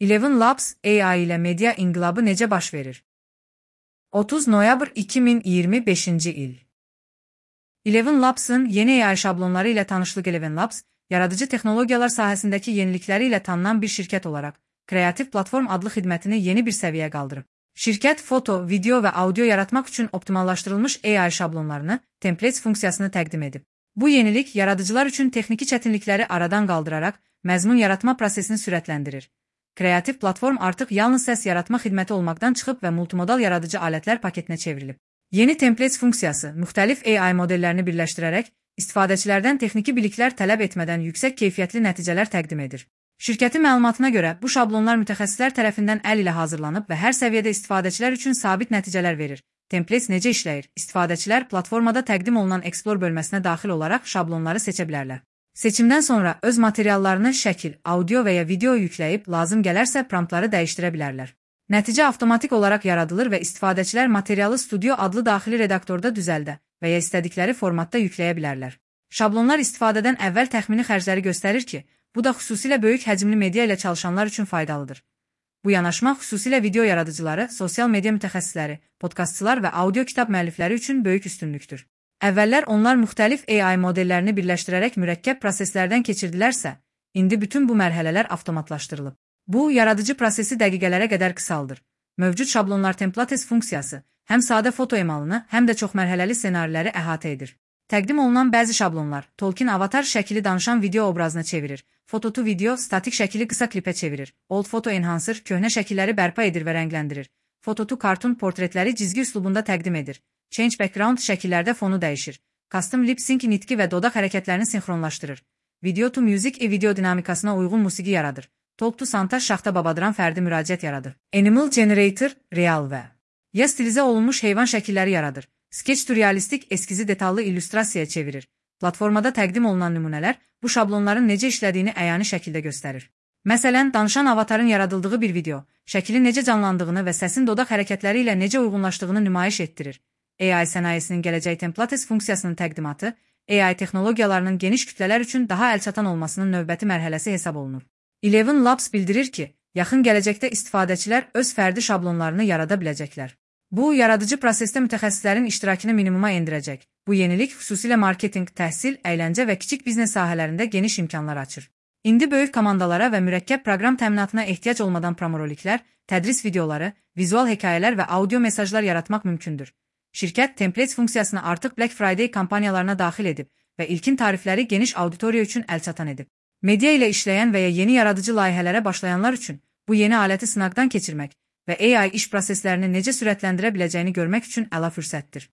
Eleven Labs AI ilə media inqilabı necə baş verir? 30 noyabr 2025-ci il. Eleven Labs'ın yeni AI şablonları ilə tanışlıq. Eleven Labs, yaradıcı texnologiyalar sahəsindəki yenilikləri ilə tanınan bir şirkət olaraq, Kreativ Platform adlı xidmətini yeni bir səviyyəyə qaldırıb. Şirkət foto, video və audio yaratmaq üçün optimallaşdırılmış AI şablonlarını, templates funksiyasını təqdim edib. Bu yenilik yaradıcılar üçün texniki çətinlikləri aradan qaldıraraq, məzmun yaratma prosesini sürətləndirir. Kreativ Platform artıq yalnız səs yaratma xidməti olmaqdan çıxıb və multimodal yaradıcı alətlər paketinə çevrilib. Yeni templates funksiyası müxtəlif AI modellərini birləşdirərək, istifadəçilərdən texniki biliklər tələb etmədən yüksək keyfiyyətli nəticələr təqdim edir. Şirkətin məlumatına görə, bu şablonlar mütəxəssislər tərəfindən əl ilə hazırlanıb və hər səviyyədə istifadəçilər üçün sabit nəticələr verir. Templates necə işləyir? İstifadəçilər platformada təqdim olunan Explore bölməsinə daxil olaraq şablonları seçə bilərlər. Seçimdən sonra öz materiallarını şəkil, audio və ya video yükləyib, lazım gələrsə promptları dəyişdirə bilərlər. Nəticə avtomatik olaraq yaradılır və istifadəçilər materialı Studio adlı daxili redaktorda düzəldə və ya istədikləri formatda yükləyə bilərlər. Şablonlar istifadədən əvvəl təxmini xərcləri göstərir ki, bu da xüsusilə böyük həcmli media ilə çalışanlar üçün faydalıdır. Bu yanaşma xüsusilə video yaradıcıları, sosial media mütəxəssisləri, podkastçılar və audio kitab müəllifləri üçün böyük üstünlükdür. Əvvəllər onlar müxtəlif AI modellərini birləşdirərək mürəkkəb proseslərdən keçirdilərsə, indi bütün bu mərhələlər avtomatlaşdırılıb. Bu, yaradıcı prosesi dəqiqələrə qədər qısaldır. Mövcud şablonlar templates funksiyası həm sadə foto emalını, həm də çoxmərhələli ssenariləri əhatə edir. Təqdim olunan bəzi şablonlar Tolkien avatar şəkili danışan video obrazına çevirir, Photo video statik şəkili qısa klipə çevirir, Old Photo Enhancer köhnə şəkilləri bərpa edir və rəngləndirir, Photo Cartoon portretləri cizgi üslubunda təqdim edir. Change background şəkillərdə fonu dəyişir. Custom lip sync nitqi və dodaq hərəkətlərini sinxronlaşdırır. Video to music video dinamikasına uyğun musiqi yaradır. Talk to Santaş şaxta babadıran fərdi müraciət yaradır. Animal Generator real və ya stilizə olunmuş heyvan şəkilləri yaradır. Sketch to realistik eskizi detallı illüstrasiyaya çevirir. Platformada təqdim olunan nümunələr bu şablonların necə işlədiyini əyani şəkildə göstərir. Məsələn, danışan avatarın yaradıldığı bir video, şəkilin necə canlandığını və səsin dodaq hərəkətləri ilə necə uyğunlaşdığını nümayiş etdirir. AI sənayesinin gələcək templates funksiyasının təqdimatı, AI texnologiyalarının geniş kütlələr üçün daha əlçatan olmasının növbəti mərhələsi hesab olunur. Eleven Labs bildirir ki, yaxın gələcəkdə istifadəçilər öz fərdi şablonlarını yarada biləcəklər. Bu, yaradıcı prosesdə mütəxəssislərin iştirakını minimuma endirəcək. Bu yenilik xüsusilə marketinq, təhsil, əyləncə və kiçik biznes sahələrində geniş imkanlar açır. İndi böyük komandalara və mürəkkəb proqram təminatına ehtiyac olmadan promoroliklər, tədris videoları, vizual hekayələr və audio mesajlar yaratmaq mümkündür. Şirkət templates funksiyasını artıq Black Friday kampaniyalarına daxil edib və ilkin tarifləri geniş auditoriya üçün əlçatan edib. Media ilə işləyən və ya yeni yaradıcı layihələrə başlayanlar üçün bu yeni aləti sınaqdan keçirmək və AI iş proseslərini necə sürətləndirə biləcəyini görmək üçün əla fürsətdir.